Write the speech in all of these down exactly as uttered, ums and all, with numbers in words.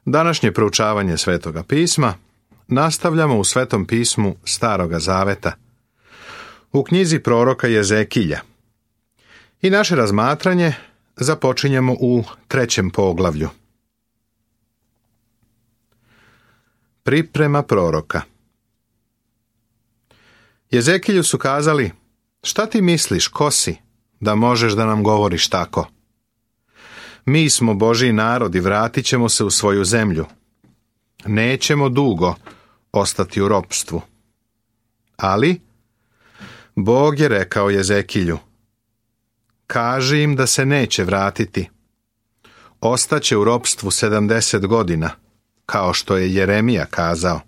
Današnje proučavanje Svetoga pisma nastavljamo u Svetom pismu Staroga zaveta, u knjizi proroka Jezekilja. I naše razmatranje započinjemo u trećem poglavlju. Priprema proroka. Jezekilju su kazali: šta ti misliš, ko si, da možeš da nam govoriš tako? Mi smo Božji narod i vratit ćemo se u svoju zemlju. Nećemo dugo ostati u ropstvu. Ali Bog je rekao Jezekilju: kaži im da se neće vratiti. Ostaće u ropstvu sedamdeset godina, kao što je Jeremija kazao.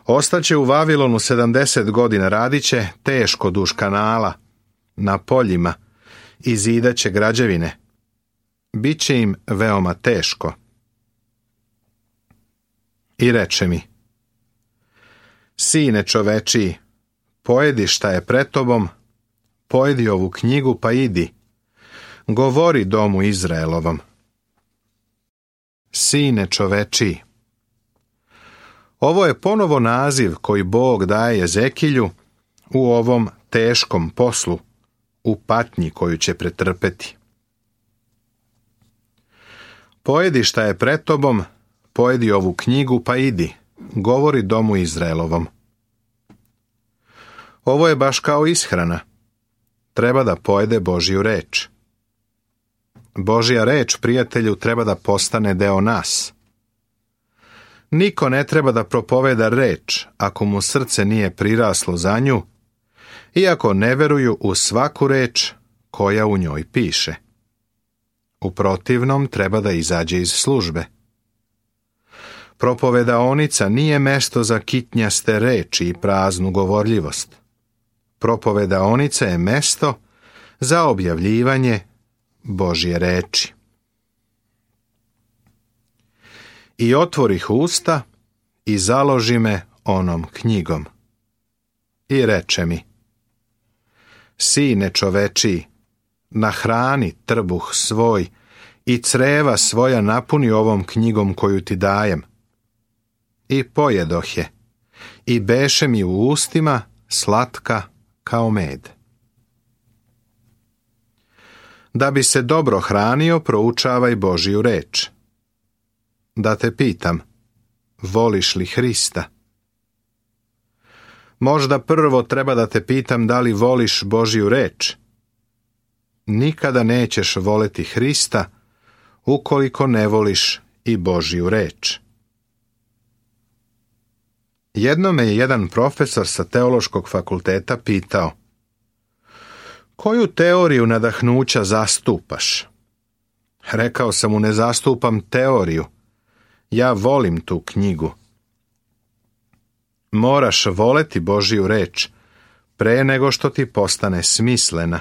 Ostaće u Vavilonu sedamdeset godina, radit će teško duž kanala, na poljima, i zidaće građevine. Biće im veoma teško. I reče mi: sine čovečiji, pojedi šta je pred tobom, pojedi ovu knjigu pa idi, govori domu Izraelovom. Sine čovečiji. Ovo je ponovo naziv koji Bog daje Jezekilju u ovom teškom poslu, u patnji koju će pretrpeti. Pojedi šta je pred tobom, pojedi ovu knjigu pa idi, govori domu Izraelovom. Ovo je baš kao ishrana. Treba da pojede Božju reč. Božja reč, prijatelju, treba da postane deo nas. Niko ne treba da propoveda reč ako mu srce nije priraslo za nju, iako ne veruju u svaku reč koja u njoj piše. U protivnom treba da izađe iz službe. Propovedaonica nije mesto za kitnjaste reči i praznu govorljivost. Propovedaonica je mesto za objavljivanje Božje reči. I otvorih usta i založi me onom knjigom. I reče mi: sine čovečiji, nahrani trbuh svoj i creva svoja napuni ovom knjigom koju ti dajem. I pojedoh je, i beše mi u ustima slatka kao med. Da bi se dobro hranio, proučavaj Božju reč. Da te pitam, voliš li Hrista? Možda prvo treba da te pitam da li voliš Božju reč. Nikada nećeš voleti Hrista ukoliko ne voliš i Božju reč. Jednom me je jedan profesor sa teološkog fakulteta pitao: koju teoriju nadahnuća zastupaš? Rekao sam mu: ne zastupam teoriju, ja volim tu knjigu. Moraš voleti Božju reč pre nego što ti postane smislena.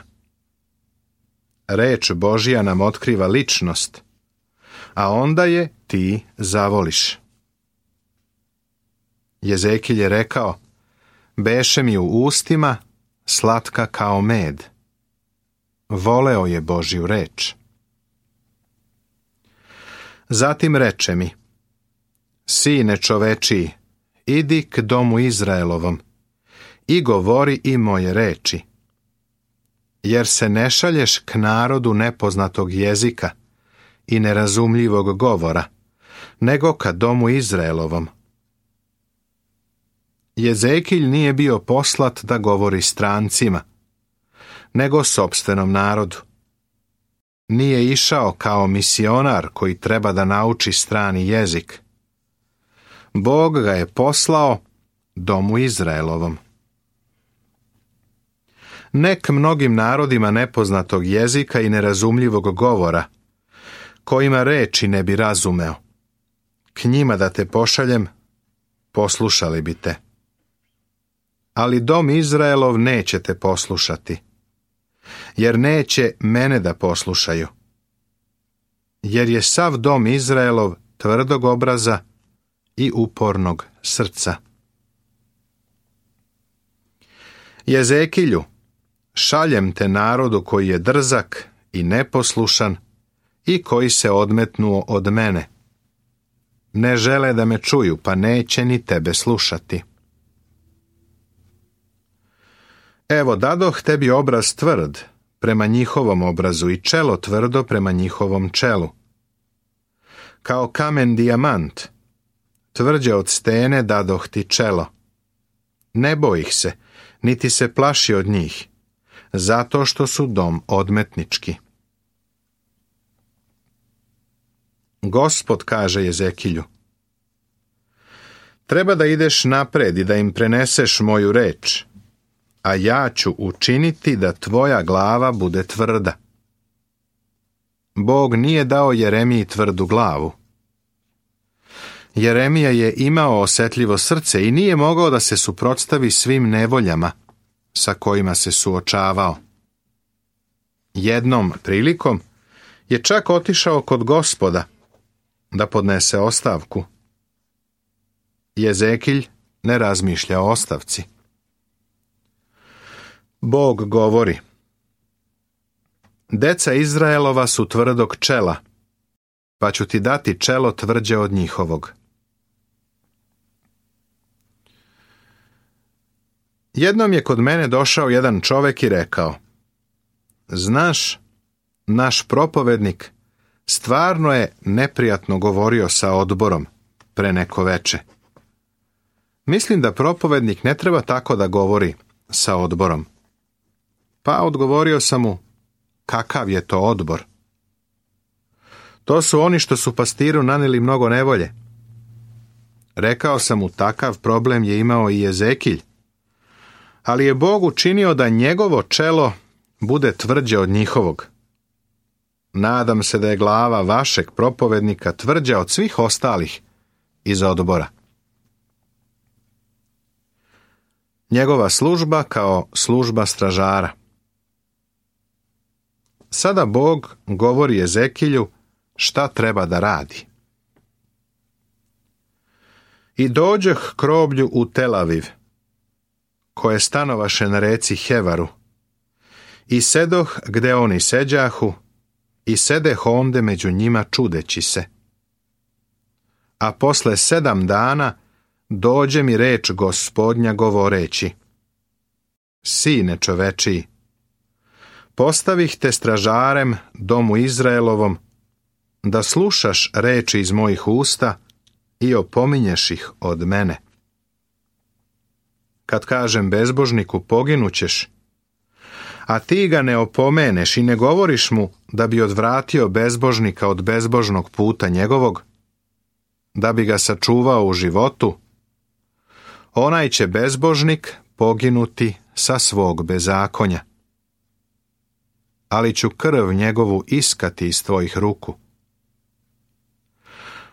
Reč Božja nam otkriva ličnost, a onda je ti zavoliš. Jezekilj je rekao: beše mi u ustima slatka kao med. Voleo je Božju reč. Zatim reče mi: sine čovečiji, idi k domu Izraelovom i govori i moje reči. Jer se ne šalješ k narodu nepoznatog jezika i nerazumljivog govora, nego ka domu Izraelovom. Jezekilj nije bio poslat da govori strancima, nego sopstvenom narodu. Nije išao kao misionar koji treba da nauči strani jezik. Bog ga je poslao domu Izraelovom. Nek mnogim narodima nepoznatog jezika i nerazumljivog govora, kojima reči ne bi razumeo. K njima da te pošaljem, poslušali bi te. Ali dom Izraelov neće te poslušati, jer neće mene da poslušaju. Jer je sav dom Izraelov tvrdog obraza i upornog srca. Jezekilju, šaljem te narodu koji je drzak i neposlušan i koji se odmetnuo od mene. ne žele da me čuju, pa neće ni tebe slušati. Evo, dadoh tebi obraz tvrd prema njihovom obrazu i čelo tvrdo prema njihovom čelu. Kao kamen dijamant, tvrđe od stene dadoh ti čelo. Ne boj ih se, niti se plaši od njih, zato što su dom odmetnički. Gospod kaže Jezekilju: treba da ideš napred i da im preneseš moju reč, a ja ću učiniti da tvoja glava bude tvrda. Bog nije dao Jeremiji tvrdu glavu. Jeremija je imao osjetljivo srce i nije mogao da se suprotstavi svim nevoljama sa kojima se suočavao. Jednom prilikom je čak otišao kod Gospoda da podnese ostavku. Jezekilj ne razmišlja o ostavci. Bog govori: deca Izraelova su tvrdog čela, pa ću ti dati čelo tvrđe od njihovog. Jednom je kod mene došao jedan čovjek i rekao: znaš, naš propovednik stvarno je neprijatno govorio sa odborom pre neko veče. Mislim da propovednik ne treba tako da govori sa odborom. Pa odgovorio sam mu: kakav je to odbor? To su oni što su pastiru naneli mnogo nevolje. Rekao sam mu: takav problem je imao i Jezekilj, ali je Bog učinio da njegovo čelo bude tvrđe od njihovog. Nadam se da je glava vašeg propovednika tvrđa od svih ostalih iz odbora. Njegova služba kao služba stražara. Sada Bog govori Jezekilju šta treba da radi. I dođoh k roblju u Tel Aviv, koje stanovaše na reci Hevaru, i sedoh gde oni seđahu, i sedeh onde među njima čudeći se. A posle sedam dana dođe mi reč Gospodnja govoreći: sine čovečiji, postavih te stražarem domu Izraelovom, da slušaš reči iz mojih usta i opominješ ih od mene. Kad kažem bezbožniku poginućeš, a ti ga ne opomeneš i ne govoriš mu da bi odvratio bezbožnika od bezbožnog puta njegovog, da bi ga sačuvao u životu, onaj će bezbožnik poginuti sa svog bezakonja. Ali ću krv njegovu iskati iz tvojih ruku.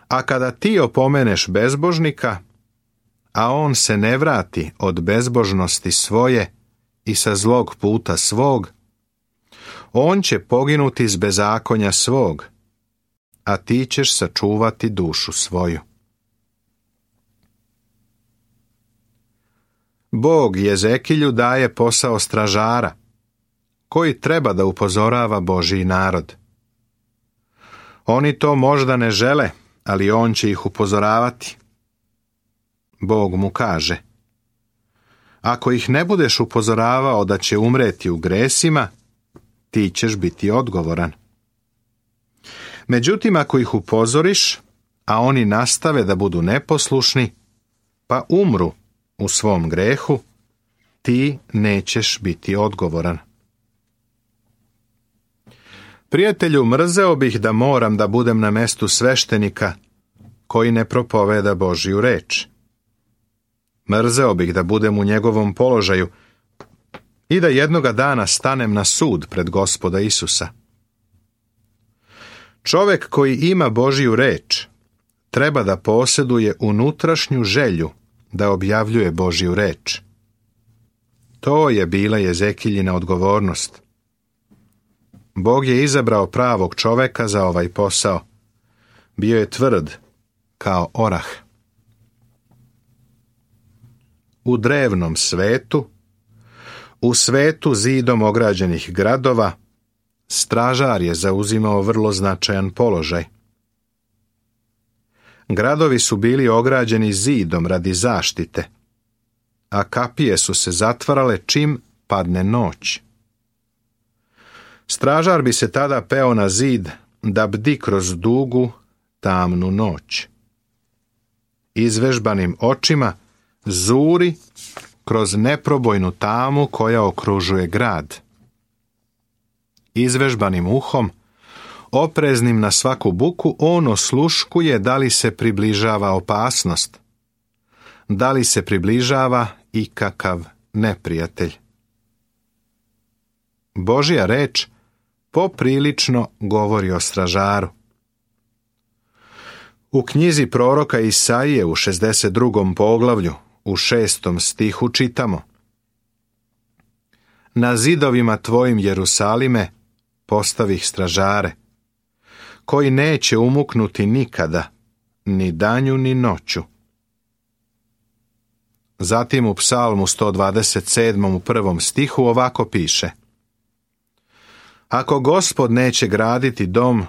A kada ti opomeneš bezbožnika, a on se ne vrati od bezbožnosti svoje i sa zlog puta svog, on će poginuti z bezakonja svog, a ti ćeš sačuvati dušu svoju. Bog Jezekilju daje posao stražara, koji treba da upozorava Božji narod. Oni to možda ne žele, ali on će ih upozoravati. Bog mu kaže: ako ih ne budeš upozoravao da će umreti u gresima, ti ćeš biti odgovoran. Međutim, ako ih upozoriš, a oni nastave da budu neposlušni, pa umru u svom grehu, ti nećeš biti odgovoran. Prijatelju, mrzeo bih da moram da budem na mestu sveštenika koji ne propoveda Božju reč. Mrzeo bih da budem u njegovom položaju i da jednoga dana stanem na sud pred Gospoda Isusa. Čovjek koji ima Božju reč treba da posjeduje unutrašnju želju da objavljuje Božju reč. To je bila Jezekiljina odgovornost. Bog je izabrao pravog čovjeka za ovaj posao. Bio je tvrd kao orah. U drevnom svetu, u svetu zidom ograđenih gradova, stražar je zauzimao vrlo značajan položaj. Gradovi su bili ograđeni zidom radi zaštite, a kapije su se zatvarale čim padne noć. Stražar bi se tada peo na zid da bdi kroz dugu, tamnu noć. Izvežbanim očima zuri kroz neprobojnu tamu koja okružuje grad. Izvežbanim uhom, opreznim na svaku buku, on osluškuje da li se približava opasnost, da li se približava ikakav neprijatelj. Božja reč poprilično govori o stražaru. U knjizi proroka Isaije u šezdeset drugom poglavlju, u šestom stihu čitamo: Na zidovima tvojim, Jerusalime, postavih stražare, koji neće umuknuti nikada, ni danju ni noću. Zatim u Psalmu sto dvadeset sedmom u prvom stihu ovako piše: Ako Gospod neće graditi dom,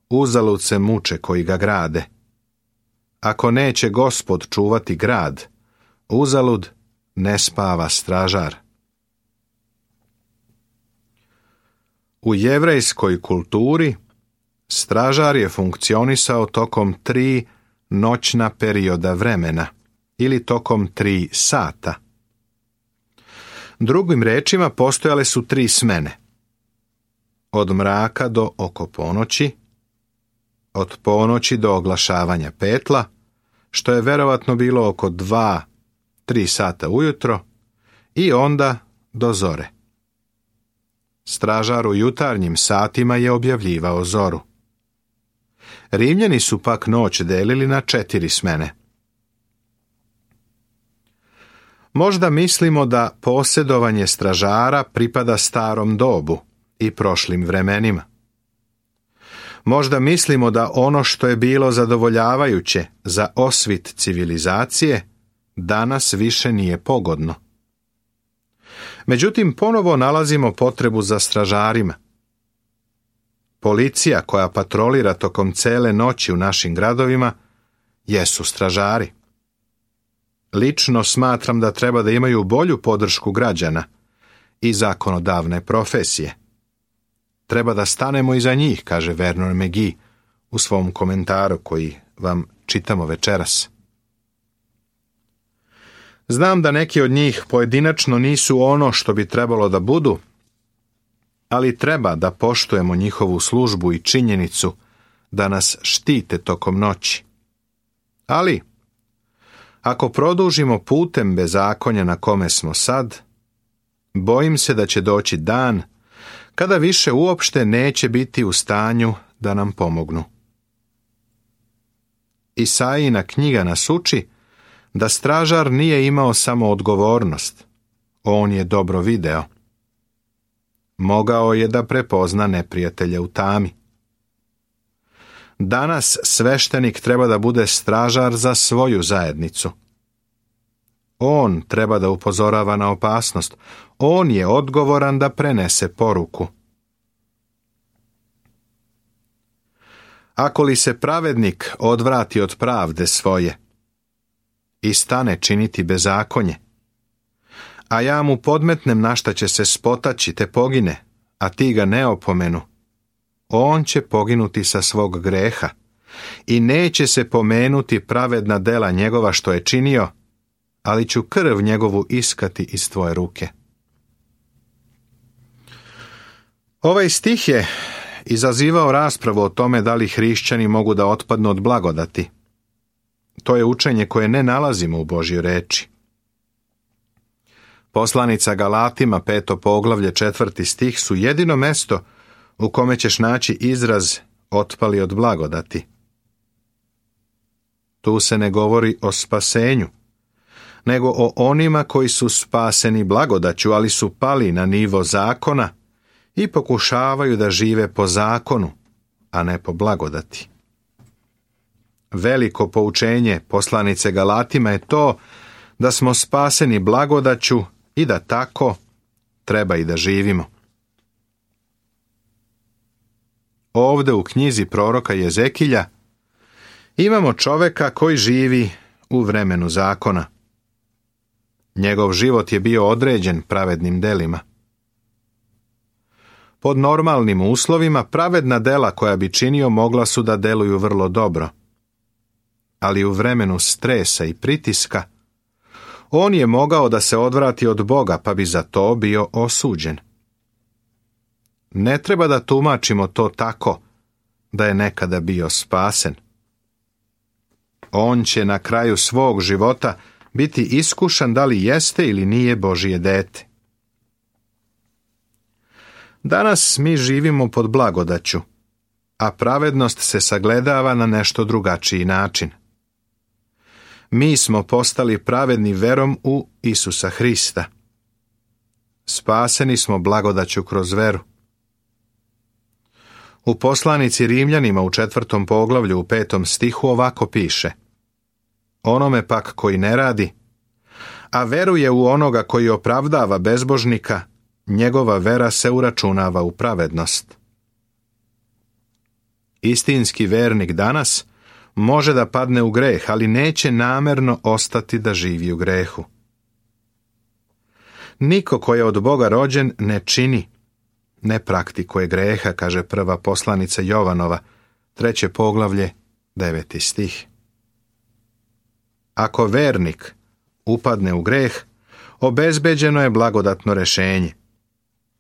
uzalud se muče koji ga grade. Ako neće Gospod čuvati grad, uzalud ne spava stražar. U jevrejskoj kulturi stražar je funkcionisao tokom tri noćna perioda vremena ili tokom tri sata. Drugim rečima, postojale su tri smene. Od mraka do oko ponoći, od ponoći do oglašavanja petla, što je verovatno bilo oko dva, tri sata ujutro, i onda do zore. Stražar u jutarnjim satima je objavljivao zoru. Rimljani su pak noć delili na četiri smene. Možda mislimo da posjedovanje stražara pripada starom dobu i prošlim vremenima. Možda mislimo da ono što je bilo zadovoljavajuće za osvit civilizacije danas više nije pogodno. Međutim, ponovo nalazimo potrebu za stražarima. Policija koja patrolira tokom cele noći u našim gradovima jesu stražari. Lično smatram da treba da imaju bolju podršku građana i zakonodavne profesije. Treba da stanemo iza njih, kaže Vernon McGee u svom komentaru koji vam čitamo večeras. Znam da neki od njih pojedinačno nisu ono što bi trebalo da budu, ali treba da poštujemo njihovu službu i činjenicu da nas štite tokom noći. Ali, ako produžimo putem bezakonja na kome smo sad, bojim se da će doći dan kada više uopšte neće biti u stanju da nam pomognu. Isaijina knjiga nas uči da stražar nije imao samo odgovornost, on je dobro video. Mogao je da prepozna neprijatelje u tami. Danas sveštenik treba da bude stražar za svoju zajednicu. On treba da upozorava na opasnost. On je odgovoran da prenese poruku. Ako li se pravednik odvrati od pravde svoje i stane činiti bezakonje, a ja mu podmetnem na šta će se spotaći te pogine, a ti ga ne opomenu, on će poginuti sa svog greha i neće se pomenuti pravedna dela njegova što je činio, ali ću krv njegovu iskati iz tvoje ruke. Ovaj stih je izazivao raspravu o tome da li hrišćani mogu da otpadnu od blagodati. To je učenje koje ne nalazimo u Božjoj reči. Poslanica Galatima, peto poglavlje, četvrti stih su jedino mesto u kome ćeš naći izraz otpali od blagodati. Tu se ne govori o spasenju, nego o onima koji su spaseni blagodaću, ali su pali na nivo zakona i pokušavaju da žive po zakonu, a ne po blagodati. Veliko poučenje poslanice Galatima je to da smo spaseni blagodaću i da tako treba i da živimo. Ovde u knjizi proroka Jezekilja Imamo čoveka koji živi u vremenu zakona. Njegov život je bio određen pravednim delima. Pod normalnim uslovima pravedna dela koja bi činio mogla su da deluju vrlo dobro. Ali u vremenu stresa i pritiska on je mogao da se odvrati od Boga, pa bi za to bio osuđen. Ne treba da tumačimo to tako da je nekada bio spasen. On će na kraju svog života biti iskušan da li jeste ili nije Božije dete. Danas mi živimo pod blagodaću, a pravednost se sagledava na nešto drugačiji način. Mi smo postali pravedni verom u Isusa Hrista. Spaseni smo blagodaću kroz veru. U poslanici Rimljanima u četvrtom poglavlju u petom stihu ovako piše: Onome pak koji ne radi, a veruje u onoga koji opravdava bezbožnika, njegova vera se uračunava u pravednost. Istinski vernik danas može da padne u greh, ali neće namerno ostati da živi u grehu. Niko ko je od Boga rođen ne čini, ne praktikuje greha, kaže prva poslanica Jovanova, treće poglavlje, deveti stih. Ako vernik upadne u greh, obezbeđeno je blagodatno rešenje.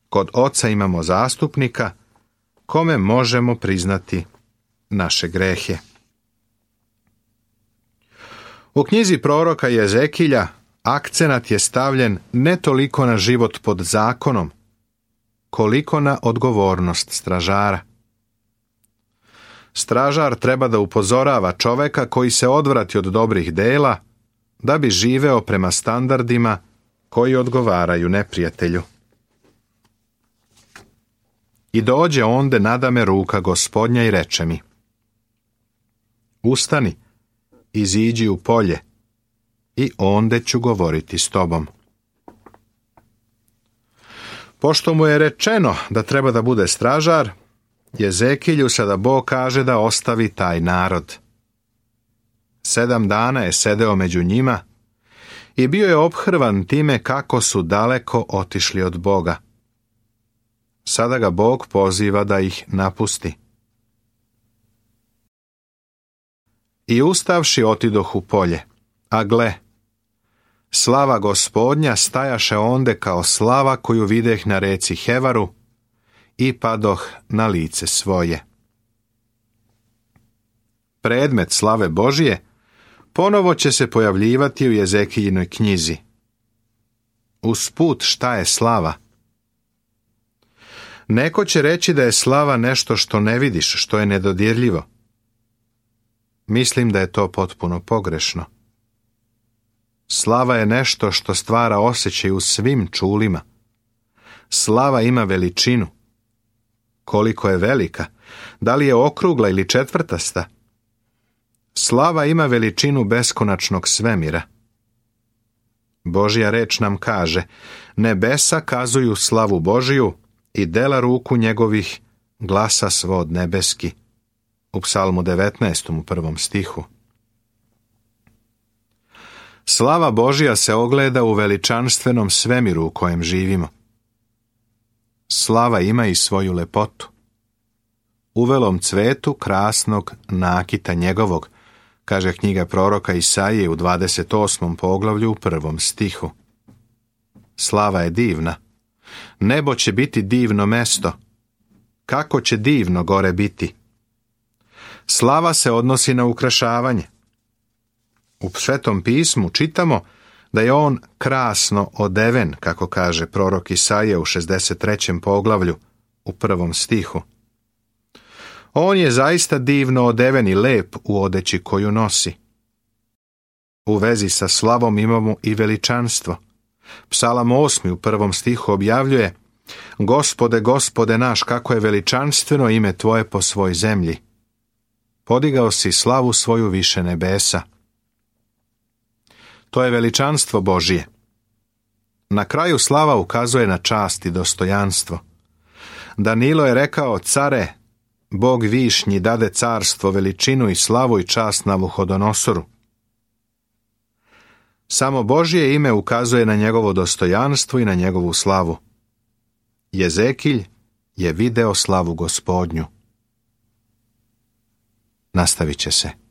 Kod Oca imamo zastupnika, kome možemo priznati naše grehe. U knjizi proroka Jezekilja akcenat je stavljen ne toliko na život pod zakonom, koliko na odgovornost stražara. Stražar treba da upozorava čoveka koji se odvrati od dobrih dela, da bi živeo prema standardima koji odgovaraju neprijatelju. I dođe onde nadame ruka Gospodnja i reče mi: Ustani, iziđi u polje, i onde ću govoriti s tobom. Pošto mu je rečeno da treba da bude stražar, Jezekilju sada Bog kaže da ostavi taj narod. Sedam dana je sedeo među njima i bio je ophrvan time kako su daleko otišli od Boga. Sada ga Bog poziva da ih napusti. I ustavši otidoh u polje, a gle, slava Gospodnja stajaše onde kao slava koju videh na reci Hevaru, i padoh na lice svoje. Predmet slave Božije ponovo će se pojavljivati u Jezekiljinoj knjizi. Usput, šta je slava? Neko će reći da je slava nešto što ne vidiš, što je nedodirljivo. Mislim da je to potpuno pogrešno. Slava je nešto što stvara osjećaj u svim čulima. Slava ima veličinu. Koliko je velika? Da li je okrugla ili četvrtasta? Slava ima veličinu beskonačnog svemira. Božja reč nam kaže: nebesa kazuju slavu Božiju i dela ruku njegovih glasa svod nebeski. U Psalmu devetnaestom u prvom stihu. Slava Božja se ogleda u veličanstvenom svemiru u kojem živimo. Slava ima i svoju lepotu. U velom cvetu krasnog nakita njegovog, kaže knjiga proroka Isaije u dvadeset osmom poglavlju u prvom stihu. Slava je divna. Nebo će biti divno mesto. Kako će divno gore biti? Slava se odnosi na ukrašavanje. U Svetom pismu čitamo da je on krasno odeven, kako kaže prorok Isaija u šezdeset trećem poglavlju u prvom stihu. On je zaista divno odeven i lep u odeći koju nosi. U vezi sa slavom imamo i veličanstvo. Psalam osmi u prvom stihu objavljuje: Gospode, Gospode naš, kako je veličanstveno ime tvoje po svoj zemlji. Podigao si slavu svoju više nebesa. To je veličanstvo Božije. Na kraju slava ukazuje na čast i dostojanstvo. Danilo je rekao: Care, Bog višnji dade carstvo, veličinu i slavu i čast Navuhodonosoru. Samo Božje ime ukazuje na njegovo dostojanstvo i na njegovu slavu. Jezekilj je video slavu Gospodnju. Nastavit će se.